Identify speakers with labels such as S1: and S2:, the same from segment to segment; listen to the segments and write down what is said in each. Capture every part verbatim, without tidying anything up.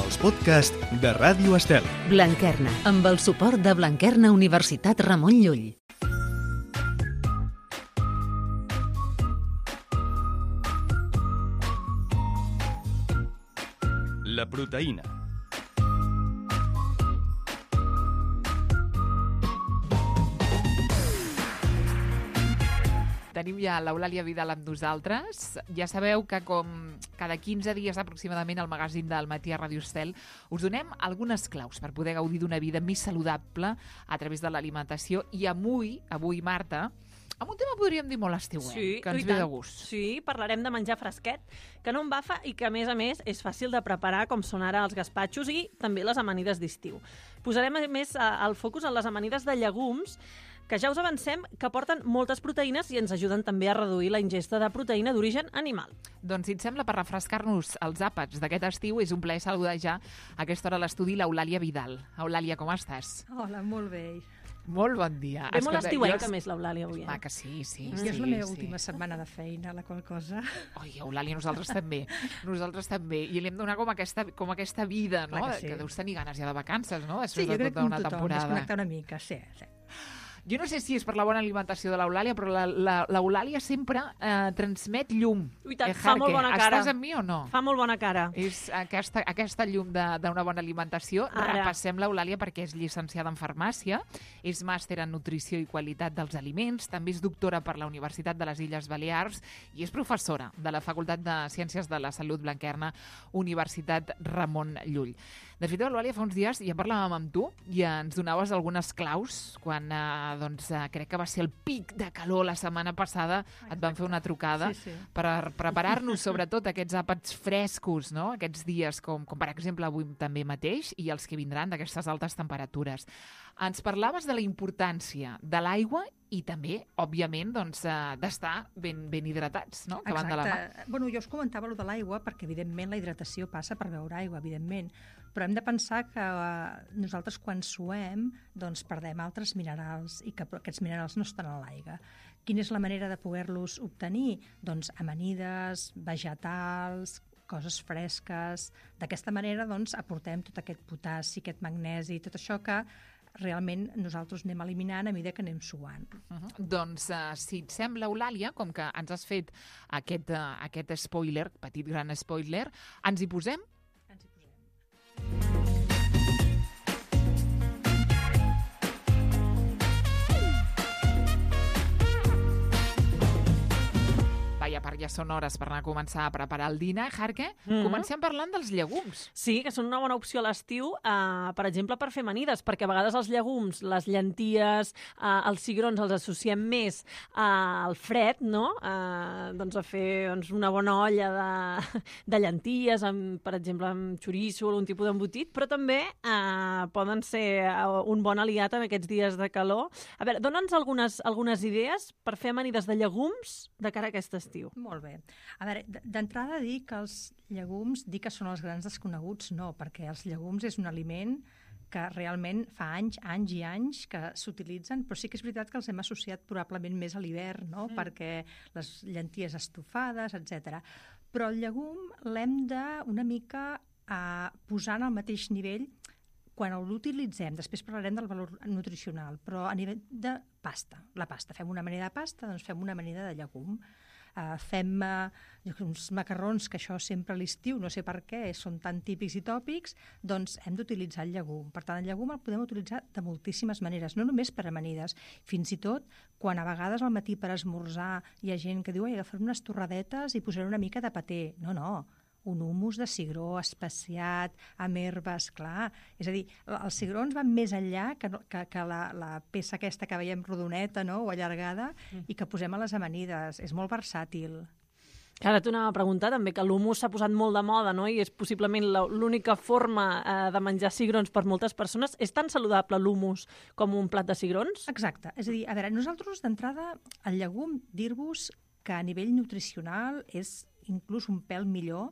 S1: els podcasts de Ràdio Estel.
S2: Blanquerna, amb el suport de Blanquerna Universitat Ramon Llull.
S1: La proteïna.
S3: Tenim ja l'Eulàlia Vidal amb nosaltres. Ja sabeu que com cada quinze dies aproximadament al magazín del Matí a Ràdio Estel us donem algunes claus per poder gaudir d'una vida més saludable a través de l'alimentació. I avui, avui Marta, amb un tema podríem dir molt estiuenc,
S4: sí,
S3: que ens
S4: i
S3: ve
S4: tant.
S3: de gust.
S4: Sí, parlarem de menjar fresquet, que no embafa i que, a més a més, és fàcil de preparar, com són ara els gaspatxos i també les amanides d'estiu. Posarem, a més, el focus en les amanides de llegums, que ja us avancem que porten moltes proteïnes i ens ajuden també a reduir la ingesta de proteïna d'origen animal.
S3: Doncs, si et sembla, per refrescar-nos els àpats d'aquest estiu, és un plaer saludar ja a aquesta hora a l'estudi l'Eulàlia Vidal. Eulàlia, com estàs?
S5: Hola, molt bé.
S3: Molt bon dia.
S4: Ve molt estiuenca,
S3: jo...
S4: més, l'Eulàlia, avui. Eh?
S3: Va, que sí, sí.
S5: I
S3: sí,
S5: és la meva
S3: sí.
S5: última setmana de feina, la qual cosa...
S3: Oi, Eulàlia, nosaltres també. Nosaltres també. I li hem donat com aquesta, com aquesta vida, no?
S5: Clar que sí.
S3: Que deus tenir ganes ja de vacances, no?
S5: Sí,
S3: Després
S5: jo
S3: de
S5: crec que
S3: tota
S5: com
S3: una
S5: tothom,
S3: temporada.
S5: desconnectar una mica, sí, sí.
S3: Jo no sé si és per la bona alimentació de l'Eulàlia, però l'Eulàlia sempre eh, transmet llum.
S4: I tant,
S3: eh,
S4: fa molt bona cara.
S3: Estàs amb mi o no?
S4: Fa molt bona cara.
S3: És aquesta, aquesta llum d'una bona alimentació.
S4: Ara.
S3: Repassem l'Eulàlia perquè és llicenciada en farmàcia, és màster en nutrició i qualitat dels aliments, també és doctora per la Universitat de les Illes Balears i és professora de la Facultat de Ciències de la Salut Blanquerna, Universitat Ramon Llull. De fet, Eulàlia, fa uns dies ja parlàvem amb tu i ens donaves algunes claus quan eh, doncs, eh, crec que va ser el pic de calor la setmana passada. Exacte. Et van fer una trucada
S5: sí, sí.
S3: per preparar-nos sobretot aquests àpats frescos, no? Aquests dies com, com per exemple avui també mateix i els que vindran d'aquestes altes temperatures. Ens parlaves de la importància de l'aigua i també, òbviament, doncs, eh, d'estar ben, ben hidratats, no? Que van de la mà.
S5: Bueno, jo us comentava allò de l'aigua perquè, evidentment, la hidratació passa per beure aigua, evidentment, però hem de pensar que eh, nosaltres quan suem doncs perdem altres minerals i que aquests minerals no estan a l'aigua. Quina és la manera de poder-los obtenir? Doncs amanides, vegetals, coses fresques. D'aquesta manera doncs, aportem tot aquest potassi, aquest magnesi, tot això que realment nosaltres anem eliminant a mesura que anem suant.
S3: Uh -huh. Doncs, uh, si et sembla, Eulàlia, com que ens has fet aquest, uh, aquest spoiler, petit gran spoiler, ens hi posem?
S5: Ens hi posem.
S3: I a part ja són hores per anar a començar a preparar el dinar, Jarque.
S4: Mm-hmm.
S3: Comencem parlant dels llegums.
S4: Sí, que són una bona opció a l'estiu, eh, per exemple, per fer amanides, perquè a vegades els llegums, les llenties, eh, els cigrons els associem més eh, al fred, no? Eh, doncs a fer doncs, una bona olla de, de llenties, amb, per exemple, amb xoriço o algun tipus d'embotit, però també eh, poden ser un bon aliat en aquests dies de calor. A veure, dona'ns algunes, algunes idees per fer amanides de llegums de cara a aquest estiu.
S5: Molt bé. A veure, d'entrada dir que els llegums, dir que són els grans desconeguts, no, perquè els llegums és un aliment que realment fa anys, anys i anys que s'utilitzen, però sí que és veritat que els hem associat probablement més a l'hivern, no? Mm. Perquè les llenties estofades, etcètera. Però el llegum l'hem de una mica eh, posar en el mateix nivell quan l'utilitzem. Després parlarem del valor nutricional, però a nivell de pasta. La pasta. Fem una amanida de pasta, doncs fem una amanida de llegum. Uh, fem uh, uns macarrons, que això sempre a l'estiu, no sé per què, són tan típics i tòpics, doncs hem d'utilitzar el llegum. Per tant, el llegum el podem utilitzar de moltíssimes maneres, no només per amanides, fins i tot quan a vegades al matí per esmorzar hi ha gent que diu «Ai, agafaré unes torradetes i posaré una mica de paté». No, no, un humus de cigró especiat, amb herbes, clar. És a dir, els cigrons van més enllà que, que, que la, la peça aquesta que veiem rodoneta, no?, o allargada, mm. i que posem a les amanides. És molt versàtil.
S4: Ara t'ho anava a preguntar també, que l'humus s'ha posat molt de moda, no?, i és possiblement l'única forma eh, de menjar cigrons per moltes persones. És tan saludable l'humus com un plat de cigrons?
S5: Exacte. És a dir, a veure, nosaltres d'entrada, el llegum, dir-vos que a nivell nutricional és inclús un pèl millor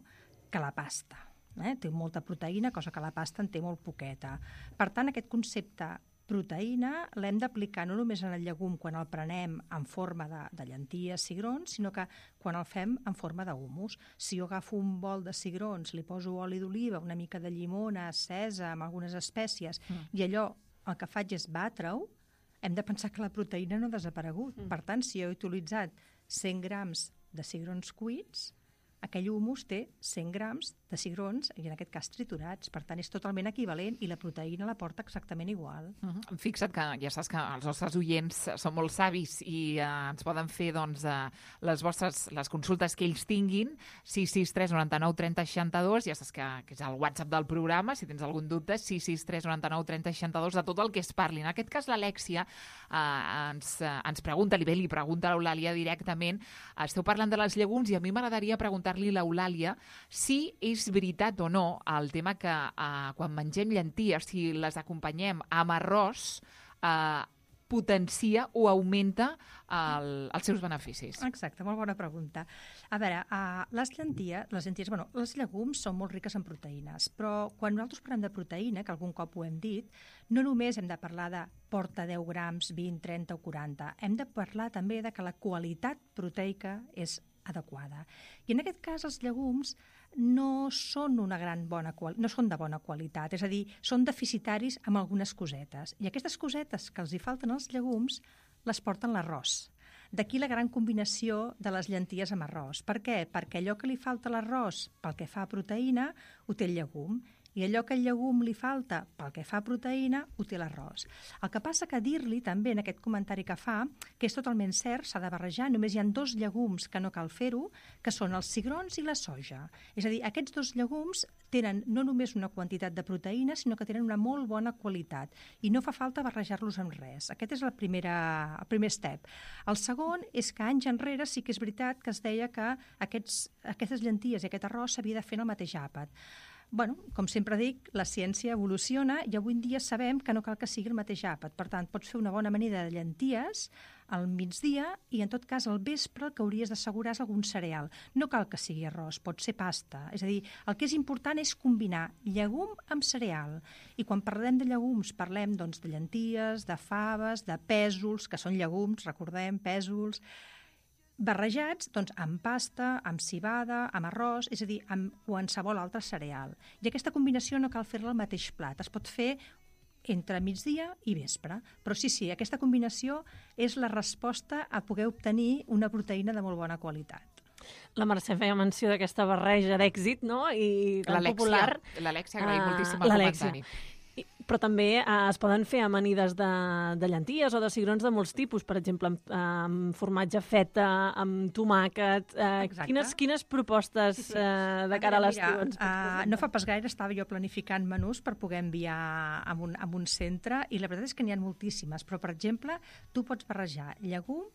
S5: que la pasta. Eh? Té molta proteïna, cosa que la pasta en té molt poqueta. Per tant, aquest concepte proteïna l'hem d'aplicar no només en el llegum quan el prenem en forma de, de llenties, cigrons, sinó que quan el fem en forma d'humus. Si jo agafo un bol de cigrons, li poso oli d'oliva, una mica de llimona, sèsam, algunes espècies, mm. i allò el que faig és batre-ho, hem de pensar que la proteïna no ha desaparegut. Mm. Per tant, si jo he utilitzat cent grams de cigrons cuits, aquell humus té cent grams de cigrons, i en aquest cas triturats. Per tant, és totalment equivalent i la proteïna la porta exactament igual.
S3: Uh-huh. Fixa't que ja saps que els nostres oients són molt savis i eh, ens poden fer doncs, eh, les vostres les consultes que ells tinguin, sis sis tres noranta-nou trenta seixanta-dos, ja saps que, que és el WhatsApp del programa, si tens algun dubte, sis sis tres noranta-nou trenta seixanta-dos, de tot el que es parli. En aquest cas, l'Alèxia eh, ens, eh, ens pregunta, li ve, li pregunta a l'Eulàlia directament, esteu parlant de les llegums i a mi m'agradaria preguntar-li a l'Eulàlia si és veritat o no el tema que eh, quan mengem llenties, si les acompanyem amb arròs, eh, potencia o augmenta el, els seus beneficis.
S5: Exacte, molt bona pregunta. A veure, uh, les llenties, les llenties, bueno, les llegums són molt riques en proteïnes, però quan nosaltres parlem de proteïna, que algun cop ho hem dit, no només hem de parlar de porta deu grams, vint, trenta o quaranta, hem de parlar també de que la qualitat proteica és adequada. I en aquest cas els llegums no són una gran bona qual... no són de bona qualitat, és a dir, són deficitaris amb algunes cosetes. I aquestes cosetes que els hi falten als llegums les porten l'arròs. D'aquí la gran combinació de les llenties amb arròs. Per què? Perquè allò que li falta a l'arròs pel que fa a proteïna ho té el llegum, i allò que al llegum li falta pel que fa a proteïna ho té l'arròs. El que passa que dir-li també en aquest comentari que fa, que és totalment cert, s'ha de barrejar, només hi ha dos llegums que no cal fer-ho, que són els cigrons i la soja. És a dir, aquests dos llegums tenen no només una quantitat de proteïna, sinó que tenen una molt bona qualitat i no fa falta barrejar-los amb res. Aquest és la primera, el primer step. El segon és que anys enrere sí que és veritat que es deia que aquests, aquestes llenties i aquest arròs s'havia de fer en el mateix àpat. Bueno, com sempre dic, la ciència evoluciona i avui en dia sabem que no cal que sigui el mateix àpat. Per tant, pots fer una bona amanida de llenties al migdia i, en tot cas, al vespre el que hauries d'assegurar és algun cereal. No cal que sigui arròs, pot ser pasta. És a dir, el que és important és combinar llegum amb cereal. I quan parlem de llegums, parlem doncs, de llenties, de faves, de pèsols, que són llegums, recordem, pèsols, barrejats doncs, amb pasta, amb cibada, amb arròs, és a dir, amb qualsevol altre cereal. I aquesta combinació no cal fer-la al mateix plat, es pot fer entre migdia i vespre. Però sí, sí, aquesta combinació és la resposta a poder obtenir una proteïna de molt bona qualitat.
S4: La Mercè feia menció d'aquesta barreja d'èxit, no? I tan popular.
S3: L'Alèxia agraïm uh, moltíssim el comentari.
S4: I, però també eh, es poden fer amanides de, de llenties o de cigrons de molts tipus, per exemple, amb, amb formatge feta, amb tomàquet. Eh, quines, quines propostes sí, sí. Eh, de cara a l'estiu ens pots presentar?
S5: Uh, no fa pas gaire estava jo planificant menús per poder enviar a un, a un centre i la veritat és que n'hi ha moltíssimes, però per exemple, tu pots barrejar llegum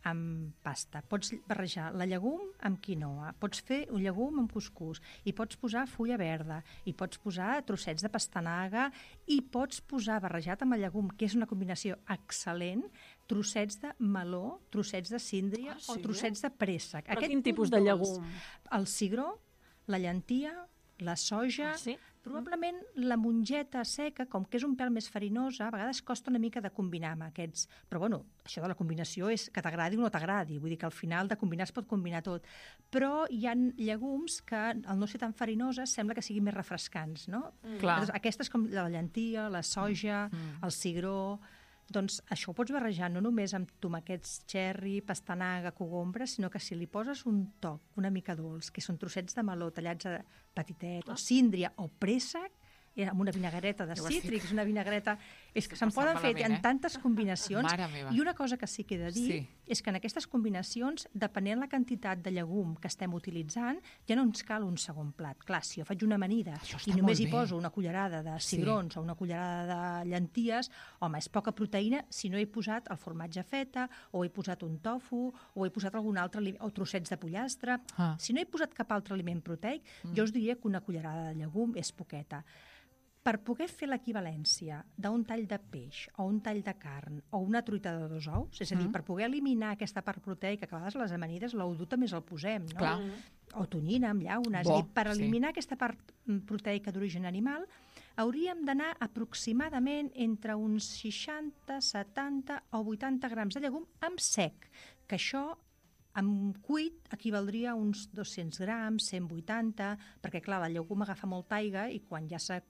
S5: amb pasta, pots barrejar la llegum amb quinoa, pots fer un llegum amb cuscús, i pots posar fulla verda, i pots posar trossets de pastanaga, i pots posar barrejat amb el llegum, que és una combinació excel·lent, trossets de meló, trossets de síndria ah, sí? o trossets de préssec.
S4: Però quin tipus de llegum?
S5: El cigró, la llentia, la soja...
S4: Ah, sí?
S5: Probablement la mongeta seca, com que és un pèl més farinosa, a vegades costa una mica de combinar amb aquests. Però bueno, això de la combinació és que t'agradi o no t'agradi. Vull dir que al final de combinar es pot combinar tot. Però hi ha llegums que, al no ser tan farinoses, sembla que siguin més refrescants, no?
S3: Mm. Clar.
S5: Aquestes com la llentia, la soja, mm. el cigró... Doncs això ho pots barrejar no només amb tomàquets cherry, pastanaga, cogombre, sinó que si li poses un toc una mica dolç, que són trossets de meló tallats a petitet, ah. o síndria, o préssec, amb una vinagreta de cítrics, una vinagreta... És que se'n poden fer en tantes combinacions. I una cosa que sí que he de dir sí. és que en aquestes combinacions, depenent la quantitat de llegum que estem utilitzant, ja no ens cal un segon plat. Clar, si jo faig una amanida i només hi poso una cullerada de cigrons sí. o una cullerada de llenties, home, és poca proteïna si no he posat el formatge feta, o he posat un tofu, o he posat algun altre aliment, o trossets de pollastre. Ah. Si no he posat cap altre aliment proteic, mm. jo us diria que una cullerada de llegum és poqueta. Per poder fer l'equivalència d'un tall de peix o un tall de carn o una truita de dos ous, és a dir, mm. per poder eliminar aquesta part proteica, que a vegades les amanides l'oudú també el posem, no?
S3: Clar.
S5: O tonyina amb llauna. És a dir, per eliminar sí. aquesta part proteica d'origen animal, hauríem d'anar aproximadament entre uns seixanta, setanta o vuitanta grams de llegum amb sec, que això amb cuit equivaldria a uns dos-cents grams, cent vuitanta, perquè clar, la llegum agafa molta aigua i quan ja, eh,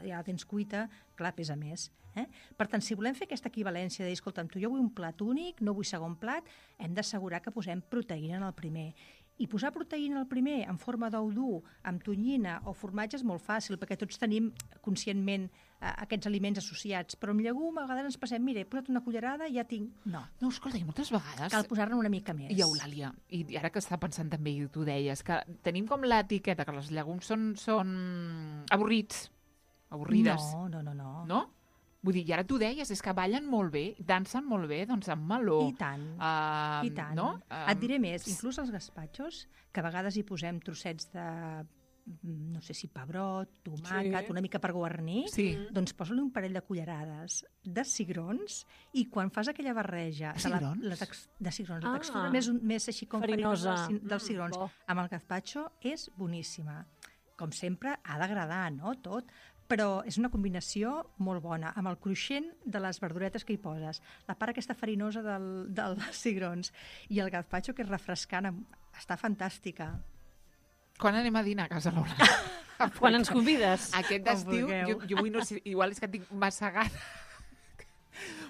S5: ja la tens cuita, clar, pesa més. Eh? Per tant, si volem fer aquesta equivalència de dir, escolta'm, tu jo vull un plat únic, no vull segon plat, hem d'assegurar que posem proteïna en el primer. I posar proteïna al primer en forma d'ou dur, amb tonyina o formatge és molt fàcil, perquè tots tenim conscientment eh, aquests aliments associats. Però amb llegum a vegades ens passem, mira, he posat una cullerada i ja tinc... No.
S3: No, escolta, i moltes vegades...
S5: Cal posar-ne una mica més.
S3: I Eulàlia, i ara que està pensant també, i tu deies, que tenim com l'etiqueta que els llegums són, són avorrits, avorrides.
S5: No, no, no, no.
S3: No? Vull dir, i ara tu deies, és que ballen molt bé, dansen molt bé, doncs amb meló.
S5: I tant,
S3: uh,
S5: i tant.
S3: No?
S5: Uh, Et diré més, inclús als gazpachos, que a vegades hi posem trossets de, no sé si pebrot, tomàquet,
S4: Sí.
S5: una mica per guarnir,
S3: Sí.
S5: doncs posa-li un parell de cullerades de cigrons i quan fas aquella barreja de, la,
S3: Cigrons?
S5: la tex, de cigrons,
S4: Ah.
S5: la textura més, més així com
S4: Farinosa.
S5: farinosa del, dels
S4: Mm,
S5: cigrons,
S4: bo.
S5: amb el gazpacho és boníssima. Com sempre, ha d'agradar, no?, tot. Però és una combinació molt bona, amb el cruixent de les verduretes que hi poses, la part aquesta farinosa del, dels cigrons i el gazpacho, que és refrescant, està fantàstica.
S3: Quan anem a dinar a casa l'Ola?
S4: Quan ens convides.
S3: Aquest
S5: Com
S3: estiu,
S5: vulgueu.
S3: jo, jo vull, no sé, igual és que tinc massa gana,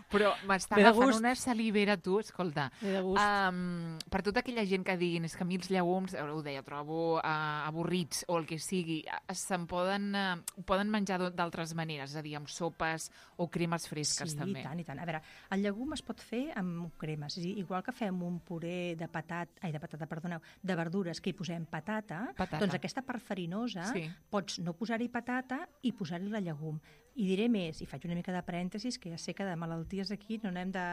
S3: però m'està
S4: Ve de
S3: agafant
S4: gust.
S3: una salivera, tu, escolta.
S4: Ve de gust.
S3: Um, per tota aquella gent que diguin és que a mi els llegums, ara ho deia, trobo uh, avorrits o el que sigui, uh, se'n poden, uh, poden menjar d'o- d'altres maneres, és a dir, amb sopes o cremes fresques,
S5: Sí,
S3: també.
S5: i tant, i tant. A veure, el llegum es pot fer amb cremes, és a dir, igual que fem un puré de patat, ai, de patata, perdoneu, de verdures que hi posem patata,
S3: Patata.
S5: doncs aquesta part farinosa
S3: Sí.
S5: pots no posar-hi patata i posar-hi la llegum. I diré més, i faig una mica de parèntesis, que ja sé que de malalties aquí no n'hem de,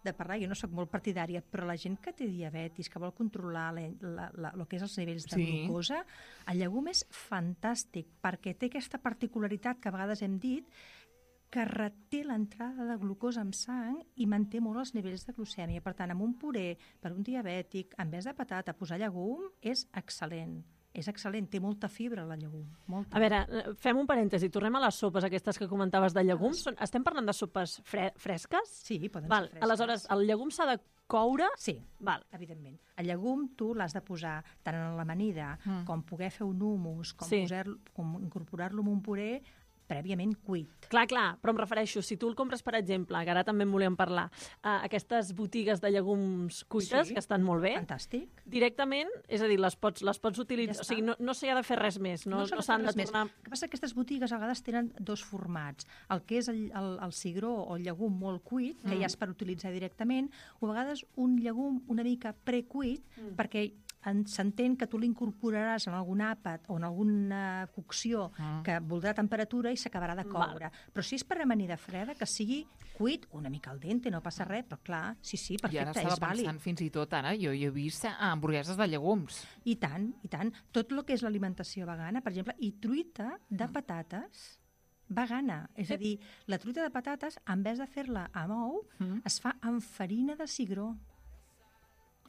S5: de parlar, jo no sóc molt partidària, però la gent que té diabetis, que vol controlar la, la, la, el que és els nivells de
S3: Sí.
S5: glucosa, el llegum és fantàstic, perquè té aquesta particularitat que a vegades hem dit, que reté l'entrada de glucosa en sang i manté molt els nivells de glucèmia. Per tant, amb un puré per un diabètic, en vez de patata, posar llegum és excel·lent. És excel·lent, té molta fibra la llegum. Molta.
S4: A veure, eh, fem un parèntesi. Tornem a les sopes aquestes que comentaves de llegums. Són, estem parlant de sopes fre fresques?
S5: Sí, poden
S4: Val,
S5: ser fresques.
S4: aleshores, el llegum s'ha de coure?
S5: Sí,
S4: Val.
S5: evidentment. El llegum tu l'has de posar tant en l'amanida
S3: Mm.
S5: com poder fer un hummus, com,
S4: Sí.
S5: posar, com incorporar-lo en un puré prèviament cuit.
S4: Clar, clar, però em refereixo, si tu el compres, per exemple, que ara també en volíem parlar, uh, aquestes botigues de llegums cuites,
S5: Sí.
S4: que estan molt bé,
S5: Fantàstic.
S4: directament, és a dir, les pots, les pots
S5: Ja
S4: utilitzar,
S5: està.
S4: o sigui, no, no s'hi ha de fer res més, no, no,
S5: s'ha
S4: no
S5: de
S4: s'han
S5: fer
S4: de
S5: res més.
S4: tornar...
S5: El que passa és que aquestes botigues a vegades tenen dos formats. El que és el, el, el cigró o el llegum molt cuit, que
S4: Mm.
S5: ja és per utilitzar directament, o a vegades un llegum una mica precuit,
S4: Mm.
S5: perquè en- s'entén que tu l'incorporaràs en algun àpat o en alguna cocció
S3: Mm.
S5: que voldrà temperatura i s'acabarà de coure. Però si és per amanida freda, que sigui cuit, una mica al dente, no passa res, però clar, sí, sí,
S3: I ara
S5: perfecte,
S3: estava
S5: és vàlid.
S3: pensant fins i tot, ara, jo, jo he vist eh, hamburgueses de llegums.
S5: I tant, i tant. Tot el que és l'alimentació vegana, per exemple, i truita de patates vegana. És a dir, la truita de patates, en vez de fer-la amb ou,
S3: Mm.
S5: es fa amb farina de cigró.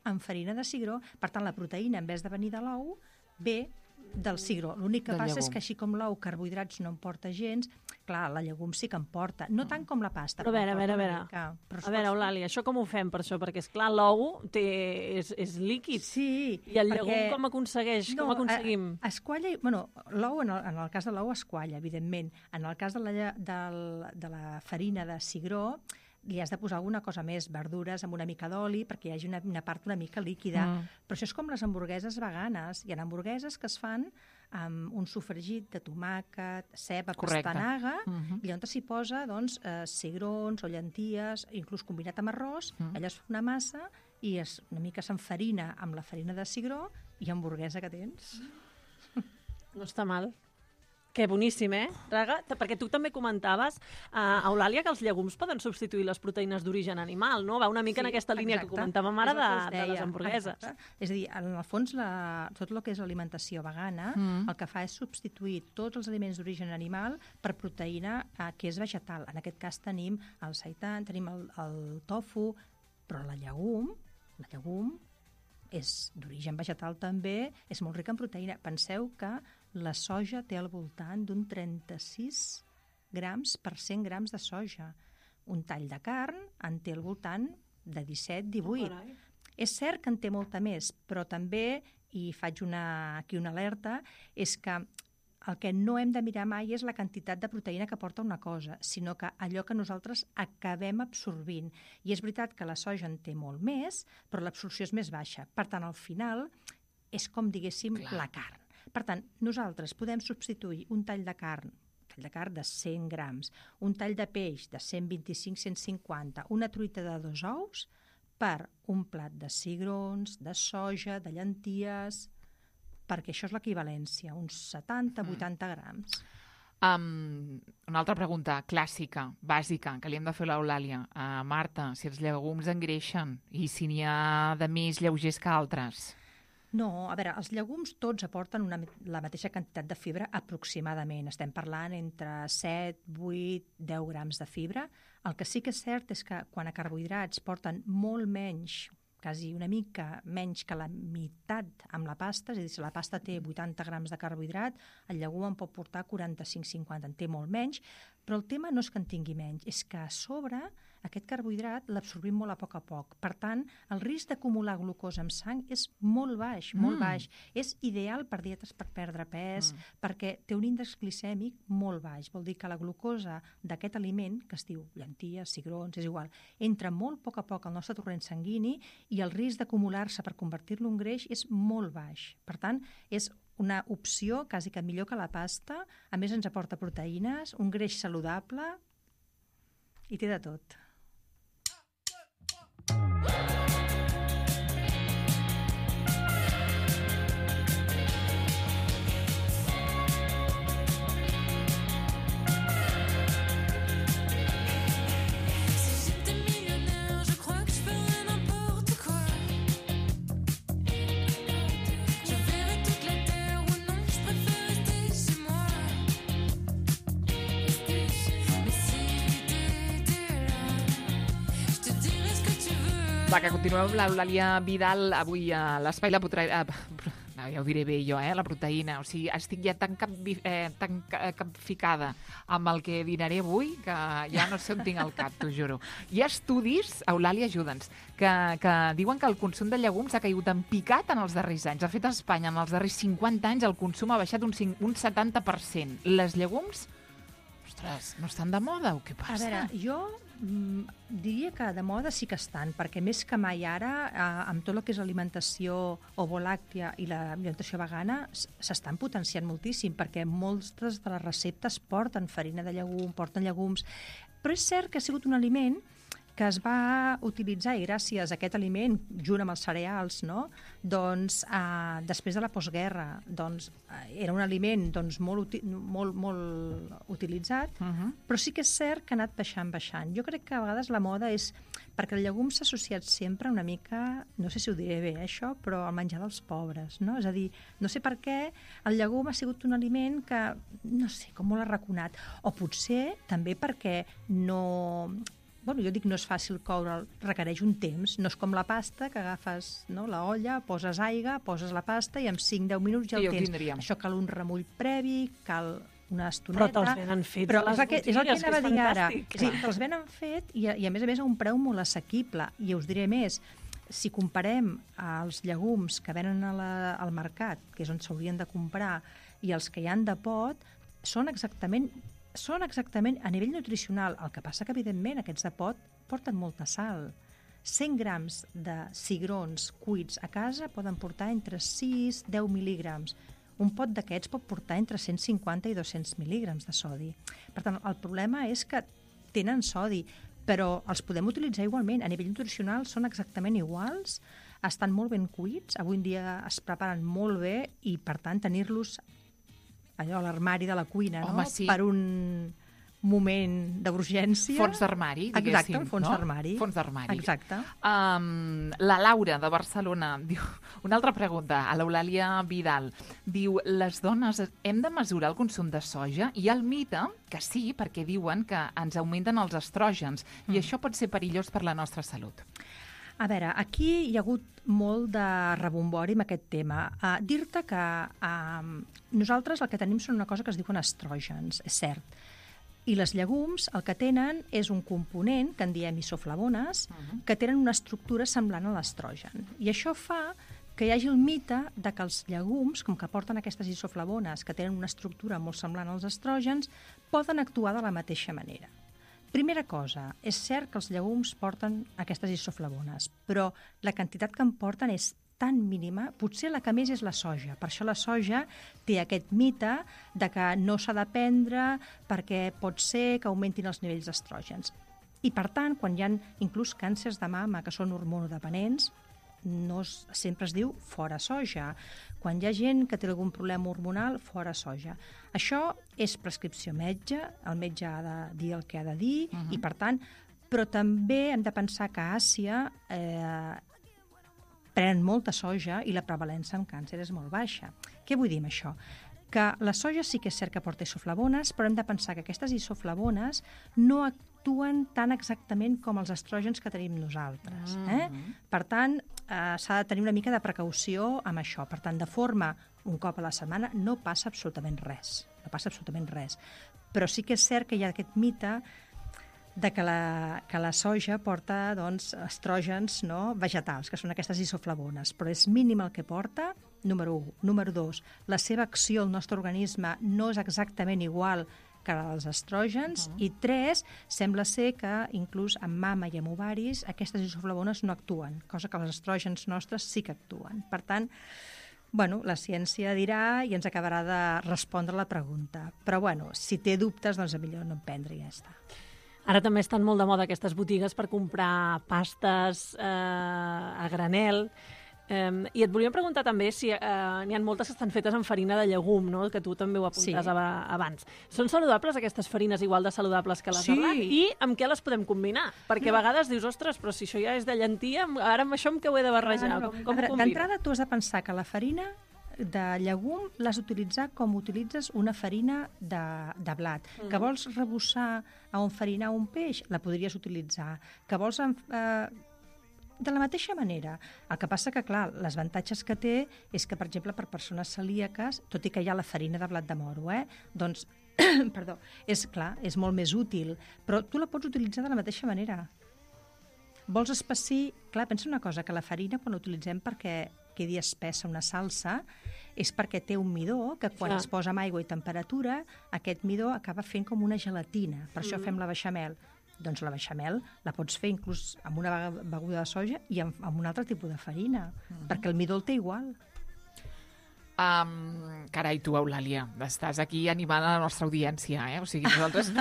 S5: Amb farina de cigró. Per tant, la proteïna, en vez de venir de l'ou, ve del cigró. L'únic que
S3: Del
S5: passa és
S3: llegum.
S5: que així com l'ou, carbohidrats no en porta gens, clar, la llegum sí que en porta. No tant com la pasta.
S4: Però a
S5: que en
S4: veure, a
S5: porta
S4: veure, a
S5: una
S4: veure.
S5: mica, però es
S4: A veure,
S5: pot fer.
S4: Eulàlia, això com ho fem per això? Perquè, és clar, l'ou té- és, és líquid.
S5: Sí.
S4: I el
S5: perquè-
S4: llegum com aconsegueix? com aconseguim?
S5: A, es qualla, i- bueno, l'ou, en, el, en el cas de l'ou, es qualla, evidentment. En el cas de la, lle- del, de la farina de cigró, li has de posar alguna cosa més, verdures amb una mica d'oli, perquè hi hagi una, una part una mica líquida.
S3: Mm.
S5: Però això és com les hamburgueses veganes. Hi ha hamburgueses que es fan amb un sofregit de tomàquet, ceba,
S3: Correcte.
S5: pastanaga,
S3: Mhm.
S5: i on s'hi posa doncs, eh, cigrons o llenties, inclús combinat amb arròs,
S3: Mm.
S5: allò es fa una massa i es, una mica s'enfarina amb la farina de cigró i hamburguesa que tens.
S4: No està mal. Que boníssim, eh, Raga? T- Perquè tu també comentaves, uh, Eulàlia, que els llegums poden substituir les proteïnes d'origen animal, no? Va una mica en aquesta línia que comentàvem ara
S5: És el que us
S4: de, de les
S5: deia.
S4: hamburgueses.
S5: Exacte. És a dir, en el fons, la, tot el que és l'alimentació vegana,
S3: Mm.
S5: el que fa és substituir tots els aliments d'origen animal per proteïna eh, que és vegetal. En aquest cas tenim el seitan, tenim el, el tofu, però la llegum, la llegum és d'origen vegetal també, és molt rica en proteïna. Penseu que la soja té al voltant d'un trenta-sis grams per cent grams de soja. Un tall de carn en té al voltant de disset divuit.
S4: Oh,
S5: és cert que en té molta més, però també, i faig una, aquí una alerta, és que el que no hem de mirar mai és la quantitat de proteïna que porta una cosa, sinó que allò que nosaltres acabem absorbint. I és veritat que la soja en té molt més, però l'absorció és més baixa. Per tant, al final, és com diguéssim Clar. la carn. Per tant, nosaltres podem substituir un tall de carn, un tall de carn de cent grams, un tall de peix de cent vint-i-cinc a cent cinquanta, una truita de dos ous, per un plat de cigrons, de soja, de llenties, perquè això és l'equivalència, uns setanta a vuitanta grams.
S3: Um, una altra pregunta clàssica, bàsica, que li hem de fer a l'Eulàlia. Uh, Marta, si els llegums engreixen i si n'hi ha de més lleugers que altres?
S5: No, a veure, els llegums tots aporten una, la mateixa quantitat de fibra aproximadament. Estem parlant entre set, vuit, deu grams de fibra. El que sí que és cert és que quan a carbohidrats porten molt menys, quasi una mica menys que la meitat amb la pasta, és a dir, si la pasta té vuitanta grams de carbohidrat, el llegum en pot portar quaranta-cinc a cinquanta, en té molt menys, però el tema no és que en tingui menys, és que a sobre aquest carbohidrat l'absorbim molt a poc a poc. Per tant, el risc d'acumular glucosa en sang és molt baix, molt mm. baix. És ideal per dietes per perdre pes, mm. perquè té un índex glicèmic molt baix. Vol dir que la glucosa d'aquest aliment, que es diu llenties, cigrons, és igual, entra molt a poc a poc al nostre torrent sanguini i el risc d'acumular-se per convertir-lo en greix és molt baix. Per tant, és una opció quasi que millor que la pasta. A més, ens aporta proteïnes, un greix saludable i té de tot.
S3: Va, que continuem amb l'Eulàlia Vidal avui a l'Espai La Proteïna. No, ja ho diré bé jo, eh? La proteïna. O sigui, estic ja tan, cap, eh, tan capficada amb el que dinaré avui que ja no sé on tinc el cap, t'ho juro. Hi ha estudis, Eulàlia, ajuda'ns, que, que diuen que el consum de llegums ha caigut en picat en els darrers anys. De fet, a Espanya, en els darrers cinquanta anys, el consum ha baixat un, un setanta per cent. Les llegums, ostres, no estan de moda o què passa?
S5: A veure, jo mm, diria que de moda sí que estan, perquè més que mai ara, eh, amb tot el que és l'alimentació ovolàctea i l'alimentació vegana, s'estan potenciant moltíssim, perquè moltes de les receptes porten farina de llegum, porten llegums, però és cert que ha sigut un aliment que es va utilitzar, i gràcies a aquest aliment, junt amb els cereals, no? doncs, eh, després de la postguerra, doncs, eh, era un aliment doncs, molt, uti molt, molt utilitzat, uh -huh. però sí que és cert que ha anat baixant, baixant. Jo crec que a vegades la moda és, perquè el llegum s'ha associat sempre una mica, no sé si ho diré bé, això, però al menjar dels pobres, no? És a dir, no sé per què el llegum ha sigut un aliment que, no sé, com molt arraconat, o potser també perquè no... Bueno, jo dic no és fàcil coure, requereix un temps, no és com la pasta, que agafes no, la olla, poses aigua, poses la pasta i en cinc deu minuts ja el tens. Això cal un remull previ, cal una estoneta...
S4: Però te'ls venen fets
S5: però
S4: a les
S5: és el que, és el que
S4: botigues,
S5: anava a dir ara. Sí,
S4: clar.
S5: te'ls venen fet i, i a més a més a un preu molt assequible. I us diré més, si comparem els llegums que venen a la, al mercat, que és on s'haurien de comprar, i els que hi han de pot, són exactament... són exactament a nivell nutricional. El que passa que, evidentment, aquests de pot porten molta sal. cent grams de cigrons cuits a casa poden portar entre sis i deu mil·lígrams. Un pot d'aquests pot portar entre cent cinquanta i dos-cents mil·lígrams de sodi. Per tant, el problema és que tenen sodi, però els podem utilitzar igualment. A nivell nutricional són exactament iguals, estan molt ben cuits, avui en dia es preparen molt bé i, per tant, tenir-los allò a l'armari de la cuina,
S3: Home,
S5: no?
S3: Sí.
S5: Per un moment d'urgència.
S3: Fons d'armari, diguéssim.
S5: Exacte, un fons
S3: no?
S5: d'armari.
S3: Fons d'armari.
S5: Exacte.
S3: Um, la Laura, de Barcelona, diu una altra pregunta, a l'Eulàlia Vidal. Diu, les dones hem de mesurar el consum de soja? Hi ha el mite que sí, perquè diuen que ens augmenten els estrògens mm. i això pot ser perillós per la nostra salut.
S5: A veure, aquí hi ha hagut molt de rebombori amb aquest tema. Uh, Dir-te que uh, nosaltres el que tenim són una cosa que es diuen estrògens, és cert. I les llegums el que tenen és un component, que en diem isoflavones, uh-huh. que tenen una estructura semblant a l'estrogen. I això fa que hi hagi el mite de que els llegums, com que porten aquestes isoflavones, que tenen una estructura molt semblant als estrògens, poden actuar de la mateixa manera. Primera cosa, és cert que els llegums porten aquestes isoflavones, però la quantitat que en porten és tan mínima, potser la que més és la soja. Per això la soja té aquest mite de que no s'ha de prendre perquè pot ser que augmentin els nivells d'estrògens. I, per tant, quan hi ha inclús càncers de mama que són hormonodependents, no es, sempre es diu fora soja. Quan hi ha gent que té algun problema hormonal, fora soja. Això és prescripció metge, el metge ha de dir el que ha de dir, uh-huh. i per tant, però també hem de pensar que a Àsia eh, prenen molta soja i la prevalença en càncer és molt baixa. Què vull dir amb això? Que la soja sí que és cert que porta isoflavones, però hem de pensar que aquestes isoflavones no actuen tan exactament com els estrògens que tenim nosaltres. Eh? Per tant, eh, s'ha de tenir una mica de precaució amb això. Per tant, de forma, un cop a la setmana, no passa absolutament res. No passa absolutament res. Però sí que és cert que hi ha aquest mite de que la, que la soja porta doncs, estrògens, no, vegetals, que són aquestes isoflavones, però és mínim el que porta, número u. Número dos, la seva acció al nostre organisme no és exactament igual que la dels estrògens, uh-huh. i tres, sembla ser que inclús en mama i en ovaris aquestes isoflavones no actuen, cosa que els estrògens nostres sí que actuen. Per tant, bueno, la ciència dirà i ens acabarà de respondre la pregunta. Però bueno, si té dubtes, doncs millor no en prendre i ja està.
S4: Ara també estan molt de moda aquestes botigues per comprar pastes eh, a granel. Eh, I et volíem preguntar també si eh, n'hi ha moltes que estan fetes amb farina de llegum, no? Que tu també ho apuntes sí. abans. Són saludables aquestes farines, igual de saludables que les
S5: sí.
S4: de blat? I amb què les podem combinar? Perquè a vegades dius, ostres, però si això ja és de llentia, ara amb això amb què ho he de barrejar?
S5: Ah, no, no.
S4: Com, com
S5: veure, d'entrada tu has de pensar que la farina de llegum l'has d'utilitzar com utilitzes una farina de, de blat. Mm. Que vols rebossar a enfarinar un peix, la podries utilitzar. Que vols... Eh, de la mateixa manera. El que passa que, clar, les avantatges que té és que, per exemple, per persones celíaques, tot i que hi ha la farina de blat de moro, eh, doncs, perdó, és clar, és molt més útil, però tu la pots utilitzar de la mateixa manera. Vols espessir... Clar, pensa una cosa, que la farina, quan l'utilitzem perquè quedi espessa una salsa, és perquè té un midó que quan clar. Es posa amb aigua i temperatura, aquest midó acaba fent com una gelatina. Per mm. això fem la beixamel. Doncs la beixamel la pots fer inclús amb una beguda de soja i amb, amb un altre tipus de farina, mm. perquè el midó el té igual.
S3: Um, carai, tu, Eulàlia, estàs aquí animant a la nostra audiència, eh? O sigui, nosaltres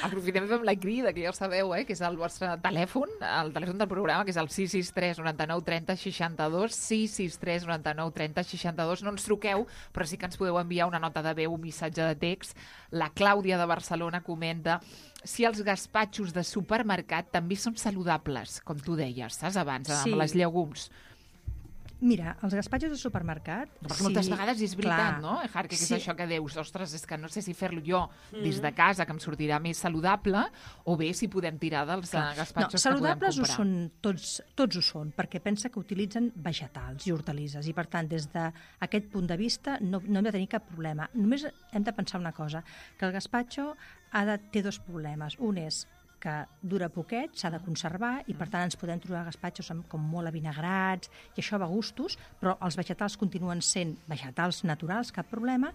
S3: aprofitem i fem la crida, que ja ho sabeu, eh? Que és el vostre telèfon, el telèfon del programa, que és el sis sis tres noranta-nou trenta seixanta-dos, sis sis tres noranta-nou trenta seixanta-dos. No ens truqueu, però sí que ens podeu enviar una nota de veu, un missatge de text. La Clàudia de Barcelona comenta si els gaspatxos de supermercat també són saludables, com tu deies, saps, abans, sí. amb les llegums.
S5: Mira, els gaspatxos de supermercat...
S3: Perquè sí, moltes vegades és veritat, clar, no, Ejar, que sí. és això que dius, ostres, és que no sé si fer-lo jo mm. des de casa, que em sortirà més saludable, o bé si podem tirar dels clar. gaspatxos no, que podem comprar.
S5: Saludables ho són, tots, tots ho són, perquè pensa que utilitzen vegetals i hortalisses, i per tant, des d'aquest punt de vista, no, no hem de tenir cap problema. Només hem de pensar una cosa, que el gaspatxo ha de, té dos problemes. Un és que dura poquet, s'ha de conservar i per tant ens podem trobar gaspatxos amb, com molt avinagrats i això va a gustos, però els vegetals continuen sent vegetals naturals, cap problema.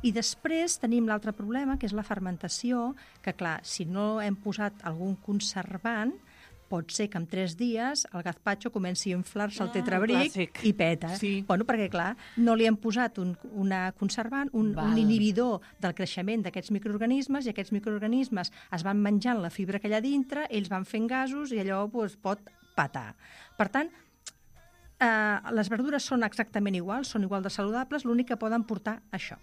S5: I després tenim l'altre problema, que és la fermentació, que clar, si no hem posat algun conservant, pot ser que en tres dies el gazpacho comenci a inflar-se el tetrabric ah, i peta. Sí. Bueno, perquè, clar, no li hem posat un una conservant, un, un inhibidor del creixement d'aquests microorganismes i aquests microorganismes es van menjant la fibra que hi ha dintre, ells van fent gasos i allò doncs, pot petar. Per tant, eh, les verdures són exactament iguals, són igual de saludables, l'únic que poden portar això.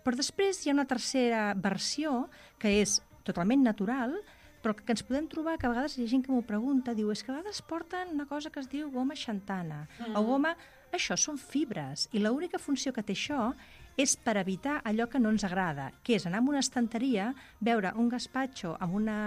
S5: Però després hi ha una tercera versió que és totalment natural, però que ens podem trobar que a vegades hi ha gent que m'ho pregunta, diu, és que a vegades porten una cosa que es diu goma xantana, mm. o goma... Això són fibres, i l'única funció que té això és per evitar allò que no ens agrada, que és anar a una estanteria, veure un gaspatxo amb, una,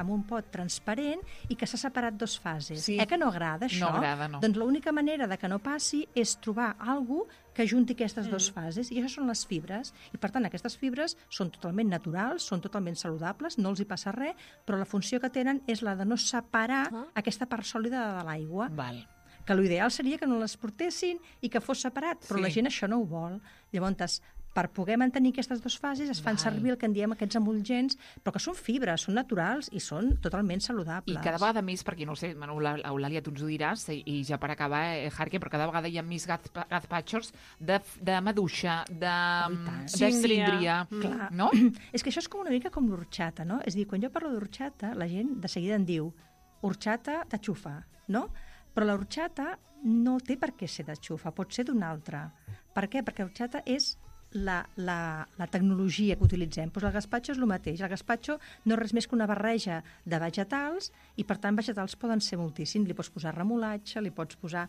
S5: amb un pot transparent i que s'ha separat dos fases. Sí. Eh que no agrada, això?
S3: No agrada, no.
S5: Doncs l'única manera de que no passi és trobar algú que que junti aquestes mm. dues fases, i això són les fibres. I, per tant, aquestes fibres són totalment naturals, són totalment saludables, no els hi passa res, però la funció que tenen és la de no separar ah. aquesta part sòlida de l'aigua.
S3: Val.
S5: Que l'ideal seria que no les portessin i que fos separat, però sí. la gent això no ho vol. Llavors, per poder mantenir aquestes dues fases es fan Val. servir el que en diem aquests emulgents, però que són fibres, són naturals i són totalment saludables.
S3: I cada vegada més, perquè no ho sé, Manu, Eulàlia, tu ens ho diràs, i, i ja per acabar, eh, Jarque, però cada vegada hi ha més gaz, gazpachos de, de maduixa, de,
S5: oh,
S3: de síndria,
S5: mm.
S3: no?
S5: És que això és com una mica com l'orxata, no? És a dir, quan jo parlo d'orxata, la gent de seguida em diu orxata de xufa, no? Però l'orxata no té per què ser de xufa, pot ser d'una altra. Per què? Perquè l'orxata és La, la, la tecnologia que utilitzem. Pues el gazpacho és el mateix. El gazpacho no és res més que una barreja de vegetals i, per tant, vegetals poden ser moltíssim. Li pots posar remolatge, li pots posar...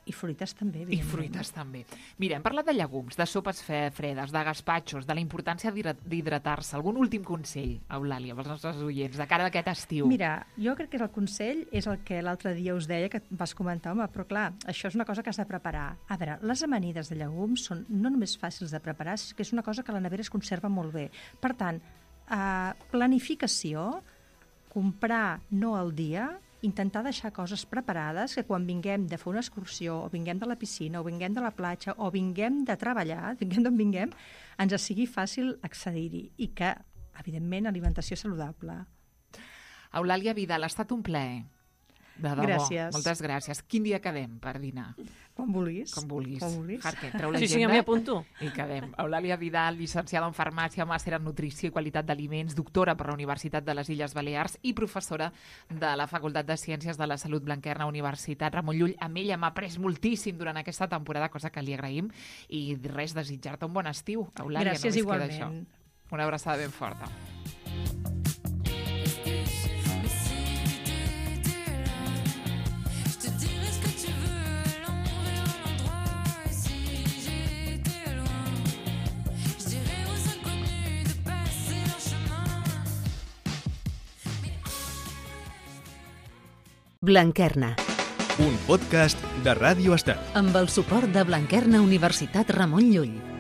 S5: I fruites també,
S3: I fruites també. Mira, hem parlat de llegums, de sopes fredes, de gazpachos, de la importància d'hidratar-se. Algun últim consell, Eulàlia, pels nostres oients, de cara a aquest estiu?
S5: Mira, jo crec que el consell és el que l'altre dia us deia, que vas comentar, home, però clar, això és una cosa que has de preparar. A veure, les amanides de llegums són no només fàcils de preparar, sinó que és una cosa que a la nevera es conserva molt bé. Per tant, eh, planificació, comprar no al dia, intentar deixar coses preparades que quan vinguem de fer una excursió, o vinguem de la piscina, o vinguem de la platja, o vinguem de treballar, vinguem d'on vinguem, ens sigui fàcil accedir-hi i que, evidentment, alimentació saludable.
S3: Eulàlia Vidal, ha estat un plaer. De debò.
S5: Gràcies.
S3: Moltes gràcies. Quin dia quedem per dinar?
S5: Com vulguis.
S3: Com vulguis.
S5: Com vulguis.
S3: Jarque, treu l'agenda.
S4: Sí, sí, m'hi apunto.
S3: I quedem. Eulàlia Vidal, llicenciada en farmàcia, màster en nutrició i qualitat d'aliments, doctora per la Universitat de les Illes Balears i professora de la Facultat de Ciències de la Salut Blanquerna, Universitat Ramon Llull. Amb ella m'ha après moltíssim durant aquesta temporada, cosa que li agraïm. I res, desitjar-te un bon estiu, Eulàlia.
S5: Gràcies,
S3: no
S5: igualment.
S3: Una abraçada ben forta.
S2: Blanquerna.
S1: Un podcast de Ràdio Estel.
S2: Amb el suport de Blanquerna Universitat Ramon Llull.